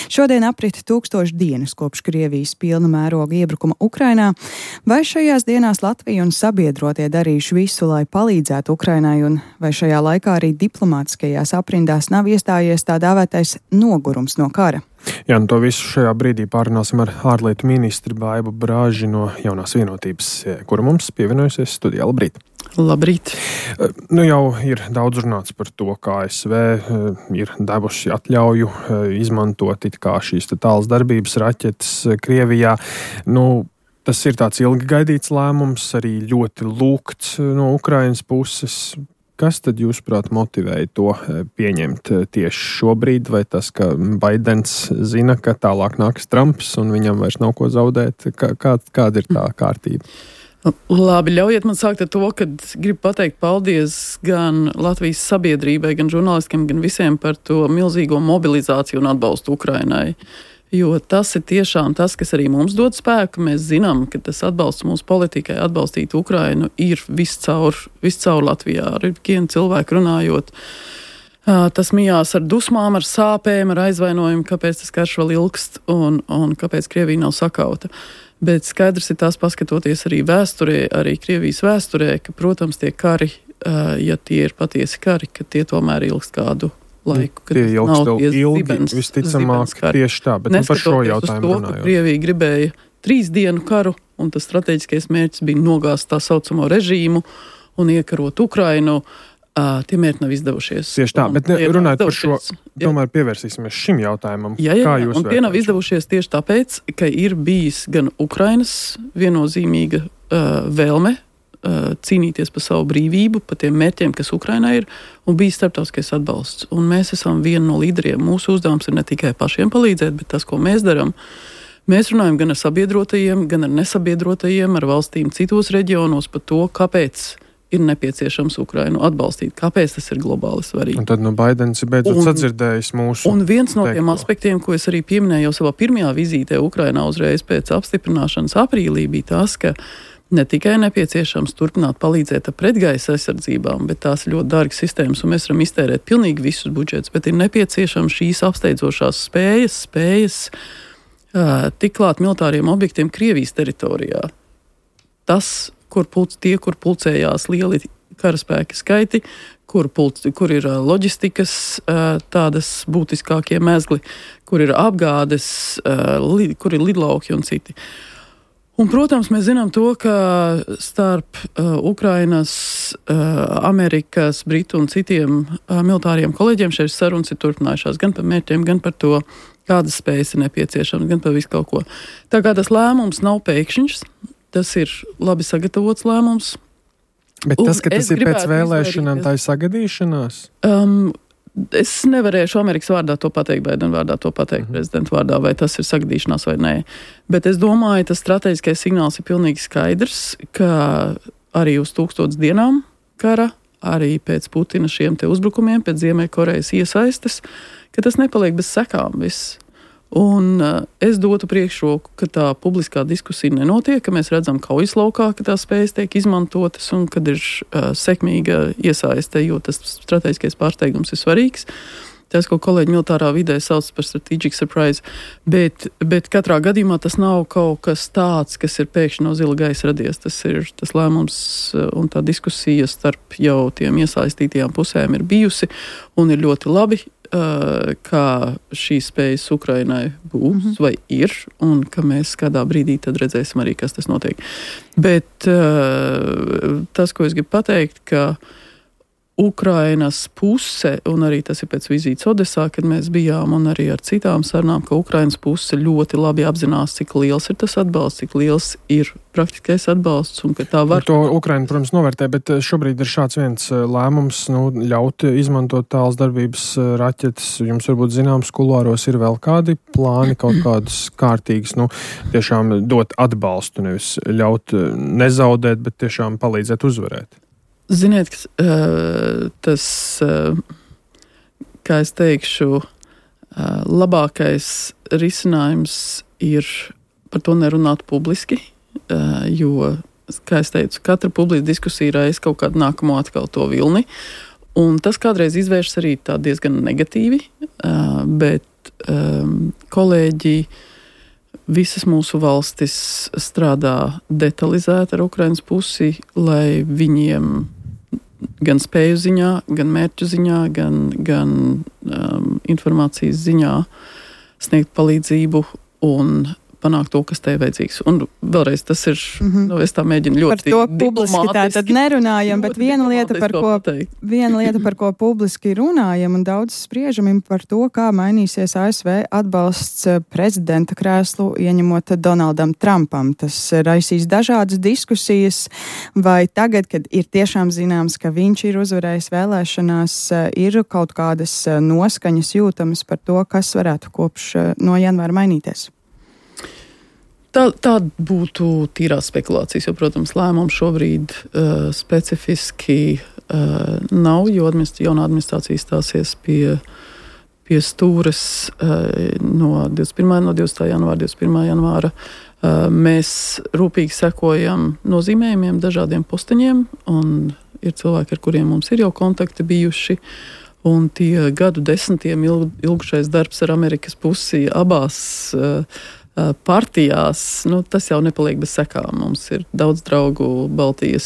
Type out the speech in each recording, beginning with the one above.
Šodien aprit 1000 dienas kopš Krievijas pilna mēroga iebrukuma Ukrainā. Vai šajās dienās Latvija un sabiedrotie darījuši visu, lai palīdzētu Ukrainai, un vai šajā laikā arī diplomātiskajās aprindās nav iestājies tā dēvētais nogurums no kara? Jā, to visu šajā brīdī pārunāsim ar ārlietu ministri Baibu Brāži no Jaunās vienotības, kura mums pievienojusies studijā. Labrīt! Labrīt! Jau ir daudz runāts par to, kā ASV ir devuši atļauju izmantot it kā šīs tālas darbības raķetes Krievijā. Tas ir tāds ilgi gaidīts lēmums, arī ļoti lūgts no Ukrainas puses. Kas tad, jūsuprāt, motivēja to pieņemt tieši šobrīd, vai tas, ka Baidens zina, ka tālāk nāks Trumps un viņam vairs nav ko zaudēt? Kāda ir tā kārtība? Labi, ļaujiet man sākt ar to, ka gribu pateikt paldies gan Latvijas sabiedrībai, gan žurnālistiem, gan visiem par to milzīgo mobilizāciju un atbalstu Ukrainai. Jo tas ir tiešām tas, kas arī mums dod spēku. Mēs zinām, ka tas atbalsts mūsu politikai atbalstīt Ukrainu ir viscaur Latvijā. Ar vienu cilvēku runājot, tas mijās ar dusmām, ar sāpēm, ar aizvainojumu, kāpēc tas karš vēl ilgst un kāpēc Krievija nav sakauta. Bet skaidrs ir tas, paskatoties arī vēsturē, arī Krievijas vēsturē, ka, protams, tie kari, ja tie ir patiesi kari, ka tie tomēr ilgst kādu laiku, kad tie nav tie ilgi, visticamāk, tieši tā, bet par šo jautājumu runājot. Krievija gribēja 3 dienu karu, un tas strateģiskais mērķis bija nogāzt tā saucamo režīmu un iekarot Ukrainu. Tie mērķi nav izdevušies. Tieši tā, bet runājot par šo, tomēr pievērsīsimies šim jautājumam. Jā, un tie nav izdevušies tieši tāpēc, ka ir bijis gan Ukrainas viennozīmīga vēlme cīnīties par savu brīvību, par tiem mērķiem, kas Ukrainā ir, un bija starptautiskais atbalsts. Un mēs esam viena no līderiem. Mūsu uzdevums ir ne tikai pašiem palīdzēt, bet tas, ko mēs darām. Mēs runājam gan ar sabiedrotajiem, gan ar nesabiedrotajiem, ar valstīm citos reģionos par to, kāpēc ir nepieciešams Ukrainu atbalstīt, kāpēc tas ir globāli svarīgi. Un tad Baidens ir beidzot sadzirdējis mūsu Un viens no tiem aspektiem, ko es arī pieminēju jau savā pirmajā vizītē Ukrainā uzreiz pēc apstiprināšanas aprīlī, bija tas, ka ne tikai nepieciešams turpināt palīdzēt ar pretgaisa aizsardzībām, bet tās ir ļoti dārgas sistēmas, un mēs varam iztērēt pilnīgi visus budžetus, bet ir nepieciešams šīs apsteidzošās spējas tik klāt militāriem objektiem Krievijas teritorijā. Tas, kur pulcējās lieli karaspēki skaiti, kur ir loģistikas tādas būtiskākie mezgli, kur ir apgādes, kur ir lidlauki un citi. Un, protams, mēs zinām to, ka starp Ukrainas, Amerikas, Britu un citiem militāriem kolēģiem šeit sarunas ir turpinājušās gan par mērķiem, gan par to, kādas spējas ir nepieciešamas, gan par visu kaut ko. Tā kā tas lēmums nav pēkšņs, tas ir labi sagatavots lēmums. Bet tas, ka tas ir pēc vēlēšanām, tā ir sagadīšanās? Es nevarēšu Amerikas vārdā to pateikt, Baidena vārdā to pateikt, prezidenta vārdā, vai tas ir sagadīšanās vai nē. Bet es domāju, tas strateģiskais signāls ir pilnīgi skaidrs, ka arī uz 1000 dienām kara, arī pēc Putina šiem te uzbrukumiem, pēc Ziemeļkorejas iesaistes, ka tas nepaliek bez sekām viss. Un es dotu priekšroku, ka tā publiskā diskusija nenotiek, ka mēs redzam kaujas laukā, ka tās spējas tiek izmantotas un kad ir sekmīga iesaiste, jo tas strateģiskais pārsteigums ir svarīgs. Tas, ko kolēģi militārā vidē sauc par strategic surprise, bet katrā gadījumā tas nav kaut kas tāds, kas ir pēkšņi no zila gaisa radies. Tas ir tas lēmums un tā diskusija starp jau tiem iesaistītajām pusēm ir bijusi un ir ļoti labi, kā šīs spējas Ukrainai būs vai ir, un ka mēs kādā brīdī tad redzēsim arī, kas tas notiek. Bet tas, ko es gribu pateikt, ka Ukrainas puse, un arī tas ir pēc vizītes Odesā, kad mēs bijām, un arī ar citām sarunām, ka Ukrainas puse ļoti labi apzinās, cik liels ir tas atbalsts, cik liels ir praktiskais atbalsts, un ka tā var... To Ukraina, protams, novērtē, bet šobrīd ir šāds viens lēmums, ļaut izmantot tālas darbības raķetes. Jums varbūt zināms, kulāros ir vēl kādi plāni, kaut kādas kārtīgas, tiešām dot atbalstu, nevis ļaut nezaudēt, bet tiešām palīdzēt uzvarēt. Ziniet, tas, kā es teikšu, labākais risinājums ir par to nerunāt publiski, jo, kā es teicu, katra publiska diskusija reiz kaut kādu nākamo atkal to vilni, un tas kādreiz izvēršas arī tā diezgan negatīvi, bet kolēģi, visas mūsu valstis strādā detalizēti ar Ukrainas pusi, lai viņiem gan spēju ziņā, gan mērķu ziņā, gan informācijas ziņā sniegt palīdzību un panākt to, kas te ir vajadzīgs. Un vēlreiz tas ir, es tā mēģinu ļoti par to publiski tā tad nerunājam, bet viena lieta, par ko publiski runājam un daudz spriežam par to, kā mainīsies ASV atbalsts prezidenta krēslu ieņemot Donaldam Trumpam. Tas raisīs dažādas diskusijas, vai tagad, kad ir tiešām zināms, ka viņš ir uzvarējis vēlēšanās, ir kaut kādas noskaņas jūtamas par to, kas varētu kopš no janvāra mainīties? Tā būtu tīrās spekulācijas, jo, protams, lēmums šobrīd specifiski nav, jo jaunā administrācija stāsies pie stūres no 20. janvāra, 21. janvāra. Mēs rūpīgi sekojam nozīmējumiem dažādiem posteņiem, un ir cilvēki, ar kuriem mums ir jau kontakti bijuši, un tie gadu desmitiem ilgušais darbs ar Amerikas pusi abās partijās, tas jau nepaliek bez sekām. Mums ir daudz draugu Baltijas,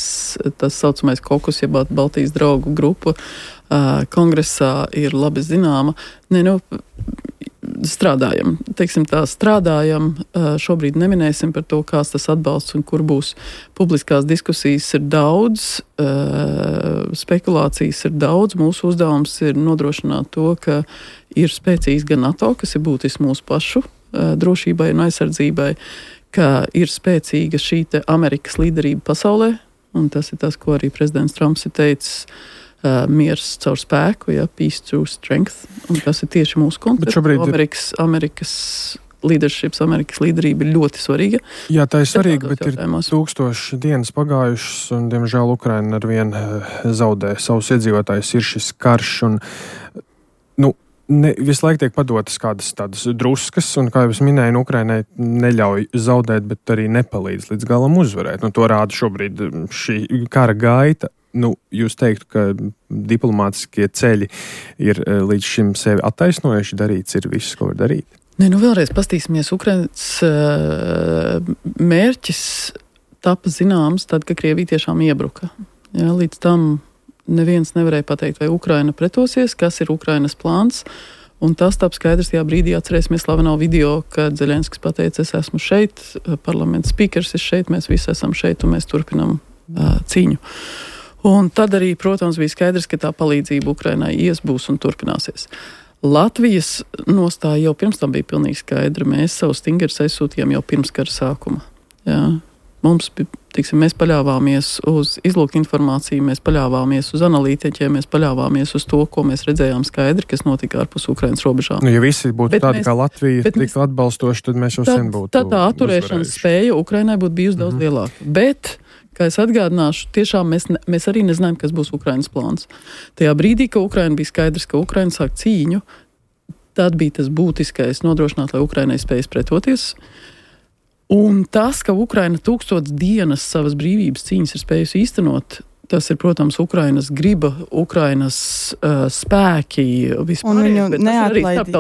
tas saucamais kokus, ja Baltijas draugu grupa kongresā ir labi zināma. Strādājam. Teiksim tā, strādājam. Šobrīd neminēsim par to, kāds tas atbalsts un kur būs. Publiskās diskusijas ir daudz, spekulācijas ir daudz. Mūsu uzdevums ir nodrošināt to, ka ir spēcīgs gan NATO, kas ir būtiski mūsu pašu drošībai un aizsardzībai, ka ir spēcīga šī te Amerikas līderība pasaulē, un tas ir tas, ko arī prezidents Trumps ir teicis, miers caur spēku, peace through strength, un tas ir tieši mūsu konteksts. Amerikas leaderships, Amerikas līderība ir ļoti svarīga. Jā, tā ir svarīga, bet ir 1000 dienas pagājušas, un, diemžēl, Ukraina arvien zaudē savus iedzīvotājus. Ir šis karš, un, visu laiku tiek padotas kādas tādas druskas, un, kā jau es minēju, Ukrainai neļauj zaudēt, bet arī nepalīdz līdz galam uzvarēt. To rāda šobrīd šī kara gaita. Jūs teiktu, ka diplomātiskie ceļi ir līdz šim sevi attaisnojuši, darīts ir viss, ko var darīt? Vēlreiz pastīsimies. Ukrainas mērķis tapa zināms tad, kad Krievija tiešām iebruka. Līdz tam neviens nevarēja pateikt, vai Ukraina pretosies, kas ir Ukrainas plāns. Un tas tap skaidrs tajā brīdī, atcerēsimies slaveno video, kad Zelenskis pateica, es esmu šeit, parlamenta spīkers ir šeit, mēs visi esam šeit un mēs turpinam cīņu. Un tad arī, protams, bija skaidrs, ka tā palīdzība Ukrainai būs un turpināsies. Latvijas nostāja jau pirms tam bija pilnīgi skaidra. Mēs savu stingerus aizsūtījām jau pirms kara sākuma. Mums, mēs paļāvāmies uz izlūku informāciju, mēs paļāvāmies uz analītiķiem, mēs paļāvāmies uz to, ko mēs redzējām skaidri, kas notika ārpus Ukrainas robežām. Ja visi būtu tādi kā Latvija, tiktu atbalstoši, tad mēs jau sen būtu tā atturēšanas spēja Ukrainai būtu bijusi daudz lielāka. Bet, kā es atgādināšu, tiešām mēs arī nezinājām, kas būs Ukrainas plāns. Tajā brīdī, ka Ukraina bija skaidrs, ka Ukraina sāk cīņu, tad bija tas būtiskais nodrošināt, lai Ukrainai spējas pretoties. Un tas, ka Ukraina 1000 dienas savas brīvības cīņas ir spējusi īstenot, tas ir, protams, Ukrainas griba, Ukrainas spēki vispār. Un viņu neatlaidība.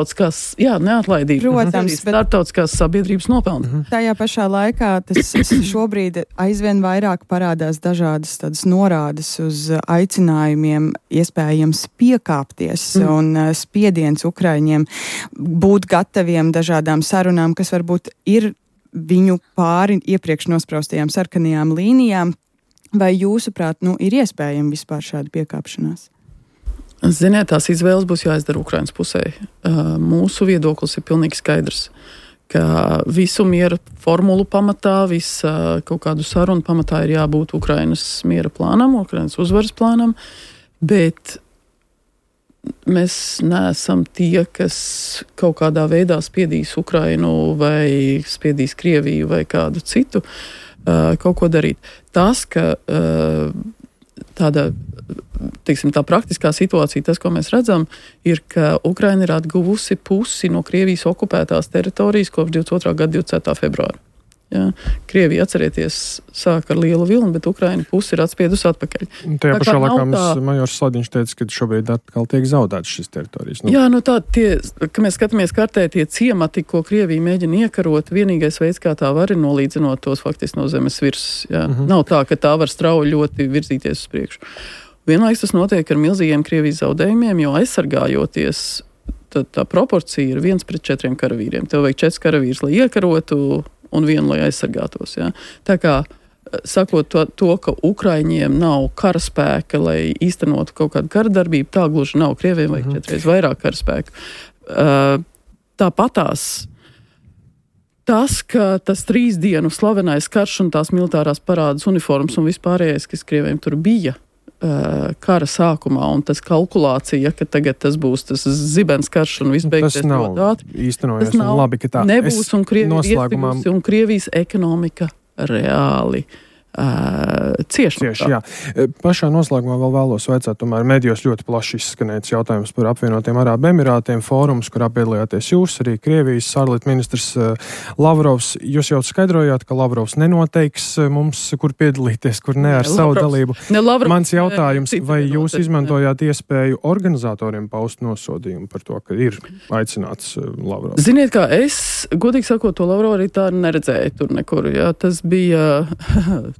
Neatlaidība. Protams, starptautiskās sabiedrības nopelna. Tajā pašā laikā tas šobrīd aizvien vairāk parādās dažādas tādas norādes uz aicinājumiem iespējams piekāpties un spiediens Ukraiņiem būt gataviem dažādām sarunām, kas varbūt ir viņu pāri iepriekš nospraustajām sarkanajām līnijām. Vai jūsuprāt, ir iespējama vispār šāda piekāpšanās? Ziniet, tās izvēles būs jāizdara Ukrainas pusē. Mūsu viedoklis ir pilnīgi skaidrs, ka visu miera formulu pamatā, visa kaut kādu sarunu pamatā ir jābūt Ukrainas miera plānam, Ukrainas uzvaras plānam, bet mēs neesam tie, kas kaut kādā veidā spiedīs Ukrainu vai spiedīs Krieviju vai kādu citu kaut ko darīt. Tas, ka tāda, tā praktiskā situācija, tas, ko mēs redzam, ir, ka Ukraina ir atguvusi pusi no Krievijas okupētās teritorijas kopš 22. gada 24. februāra. Jā. Krievija, atcerieties, sāk ar lielu vilni, bet Ukraina pusi ir atspiedus atpakaļ. Tajā pašā laikā majors Sladiņš teica, ka šobrīd atkal tiek zaudētas šīs teritorijas. Jā, ka mēs skatāmies kartē tie ciemati, ko Krievija mēģina iekarot, vienīgais veids, kā tā var, ir nolīdzinot tos faktiski no zemes virsmas. Nav tā, ka tā var strauji ļoti virzīties uz priekšu. Vienlaiks tas notiek ar milzīgiem Krievijas zaudējumiem, jo aizsargājoties, tā proporcija ir 1:4 karavīriem. Tev vajag 4 karavīrus, lai iekarotu, un 1, lai aizsargātos. Ja? Tā kā, sakot to, ka Ukraiņiem nav karaspēka, lai īstenotu kaut kādu karadarbību, tā gluži nav. Krieviem vajag 4 reizes vairāk karaspēku. Tāpatās tas, ka tas 3 dienu slavenais karš un tās militārās parādas uniformas un vispārējais, kas Krieviem tur bija kara sākumā, un tas kalkulācija, ka tagad tas būs tas zibens karš un viss beigsies ļoti ātri. Īstenojas, un labi, ka tā nebūs, un Krievija iespījusi, un Krievijas ekonomika reāli cieši. Jā. Pašā noslēgumā vēl vēlos vaicāt, tomēr medijos ļoti plaši izskanēts jautājums par apvienotiem Arābu Emirātiem, fórums, kurā piedalījāties jūs, arī Krievijas ārlietu ministrs Lavrovs. Jūs jau skaidrojāt, ka Lavrovs nenoteiks mums, kur piedalīties, kur ne ar savu dalību. Mans jautājums, vai jūs izmantojāt iespēju organizatoriem paust nosodījumu par to, ka ir aicināts Lavrovs? Ziniet, kā es, godīgi sakot, to Lavrovu arī tā neredzēju tur nekur. Jā.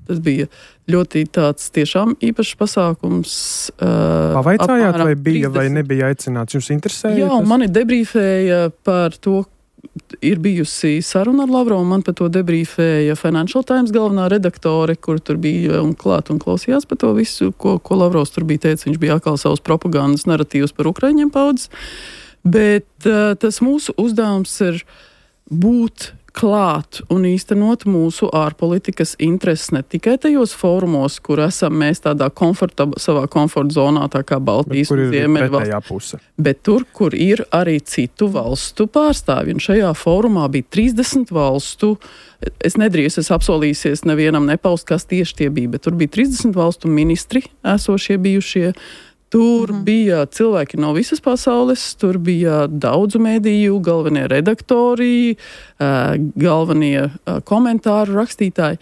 Tas bija ļoti tāds tiešām īpašs pasākums. Pavaicājāt, vai bija 30... vai nebija aicināts? Jums interesēja? Jā, un mani debrīfēja par to, ir bijusi saruna ar Lavrovu, man par to debrīfēja Financial Times galvenā redaktore, kur tur bija un klāt un klausījās par to visu, ko Lavrovs tur bija teicis. Viņš bija atkal savus propagandas naratīvus par Ukraiņiem paudzes. Bet tas mūsu uzdevums ir būt klāt un īstenot mūsu ārpolitikas intereses ne tikai tajos fórumos, kur esam mēs tādā savā komforta zonā, tā kā Baltijas un Ziemeļvalsts, bet tur, kur ir arī citu valstu pārstāvji. Un šajā fórumā bija 30 valstu. Es apsolīsies nevienam nepaust, kas tieši tie bija, bet tur bija 30 valstu ministri esošie bijušie. Tur bija cilvēki no visas pasaules, tur bija daudzu mediju, galvenie redaktori, galvenie komentāru rakstītāji.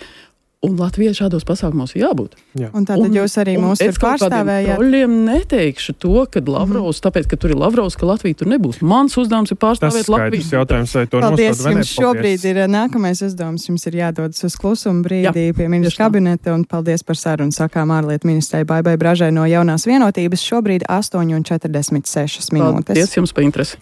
Un Latvijai šādos pasākumos ir jābūt. Jā. Un tātad jūs arī mūs tur pārstāvējāt? Es troļļiem neteikšu to, ka Lavrovs, tāpēc, ka tur ir Lavrovs, ka Latvija tur nebūs. Mans uzdevums ir pārstāvēt Latviju. Tas jautājums, vai to paldies, jums šobrīd ir nākamais uzdevums. Jums ir jādodas uz klusumu brīdī pie ministra kabineta, un paldies par sarunu sakām ārlietu ministrei Baibai Bražai no Jaunās vienotības. Šobrīd 8:46 minūtes. Paldies jums par interesi.